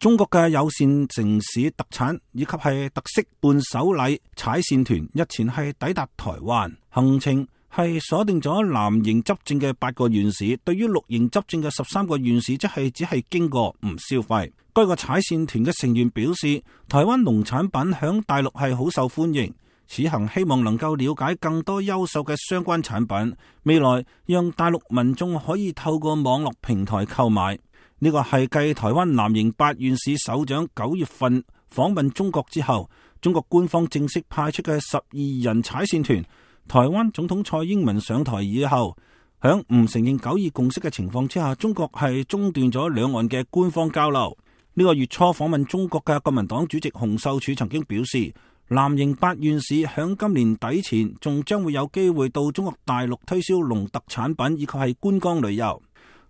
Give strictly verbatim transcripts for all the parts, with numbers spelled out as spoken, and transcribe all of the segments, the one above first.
中國嘅有線城市特產以及係特色伴手禮踩線團日前係抵達台灣，行程係鎖定咗藍營執政嘅八個縣市，對於綠營執政嘅十三個縣市，即係只係經過唔消費。該個踩線團嘅成員表示，台灣農產品響大陸係好受歡迎，此行希望能夠了解更多優秀嘅相關產品，未來讓大陸民眾可以透過網絡平台購買。呢個係繼台灣藍營八縣市首長九月份訪問中國之後，中國官方正式派出嘅十二人踩線團。台灣總統蔡英文上台以後，響唔承認九二共識嘅情況之下，中國係中斷咗兩岸嘅官方交流。呢個月初訪問中國嘅國民黨主席洪秀柱曾經表示，藍營八縣市響今年底前仲將會有機會到中國大陸推銷農特產品以及係觀光旅遊。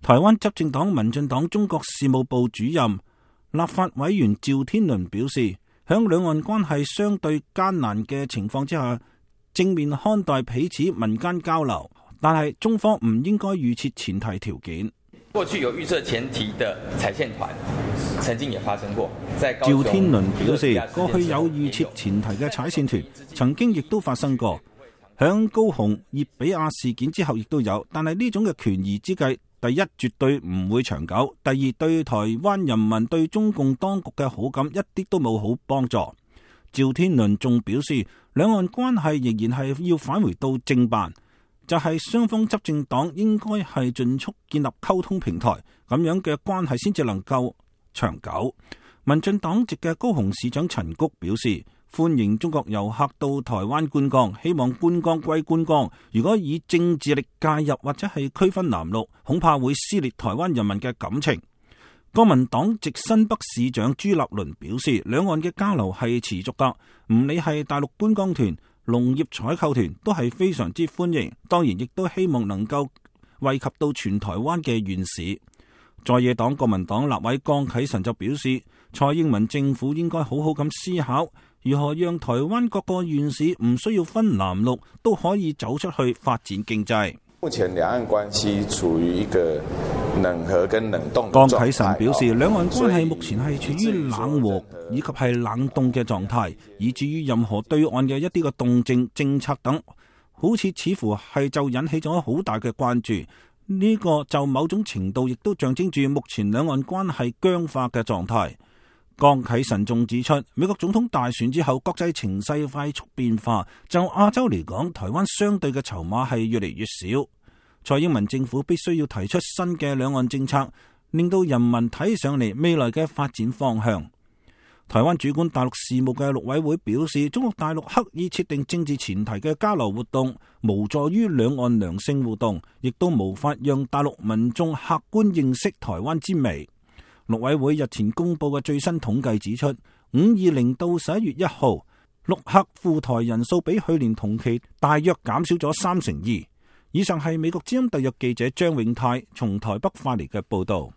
台灣執政黨民進黨中國事務部主任、立法委員趙天麟表示，響兩岸關係相對艱難嘅情況之下，正面看待彼此民間交流，但係中方唔應該預設前提條件。過去有預設前提的踩線團，曾經也發生過。趙天麟表示，過去有預設前提嘅踩線團，曾經亦都發生過。響高雄葉比亞事件之後亦都有，但係呢種嘅權宜之計，第一絕對唔會長久，第二對台灣人民對中共當局嘅好感一啲都冇好幫助。趙天麟仲表示，兩岸關係仍然係要返回到正辦，就係、是、雙方執政黨應該係盡速建立溝通平台，咁樣嘅關係先至能夠長久。民進黨籍嘅高雄市長陳菊表示，歡迎中國遊客到台灣觀光，希望觀光歸觀光，如果以政治力介入或者係區分藍綠，恐怕會撕裂台灣人民嘅感情。國民黨籍新北市長朱立倫表示，兩岸嘅交流係持續噶，唔理係大陸觀光團、農業採購團都係非常之歡迎，當然亦都希望能夠惠及到全台灣嘅縣市。在野黨國民黨立委江啟臣就表示，蔡英文政府應該好好咁思考，如何讓台灣各個縣市唔需要分藍綠，都可以走出去發展經濟。目前兩岸關係處於一個冷和跟冷凍嘅狀態。江啟臣表示，兩岸關係目前係處於冷和以及係冷凍嘅狀態，以至於任何對岸嘅一啲嘅動靜、政策等，好似似乎係就引起咗好大嘅關注。呢、這個就某種程度亦都象徵住目前兩岸關係僵化嘅狀態。江啟臣仲指出，美國總統大選之後，國際情勢快速變化，就亞洲嚟講，台灣相對嘅籌碼係越嚟越少。蔡英文政府必須要提出新嘅兩岸政策，令到人民睇上嚟未來嘅發展方向。台灣主管大陸事務嘅陸委會表示，中國大陸刻意設定政治前提嘅交流活動，無助於兩岸良性互動，亦都無法讓大陸民眾客觀認識台灣之美。陸委會日前公布嘅最新統計指出，五二零到十一月一號，陸客赴台人數比去年同期大約減少咗三成二。以上係美國之音特約記者張永泰從台北發嚟嘅報道。